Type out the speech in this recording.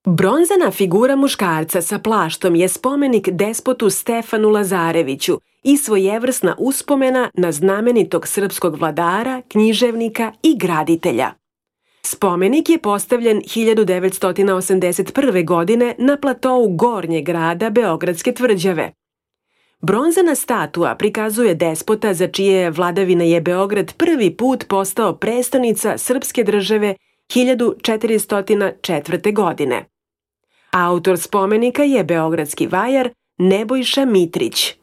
Bronzana figura muškarca sa plaštom je spomenik despotu Stefanu Lazareviću i svojevrsna uspomena na znamenitog srpskog vladara, književnika i graditelja. Spomenik je postavljen 1981. godine na platou Gornjeg grada Beogradske tvrđave. Bronzana statua prikazuje despota za čije vladavine je Beograd prvi put postao prestonica srpske države 1404. godine. Autor spomenika je beogradski vajar Nebojša Mitrić.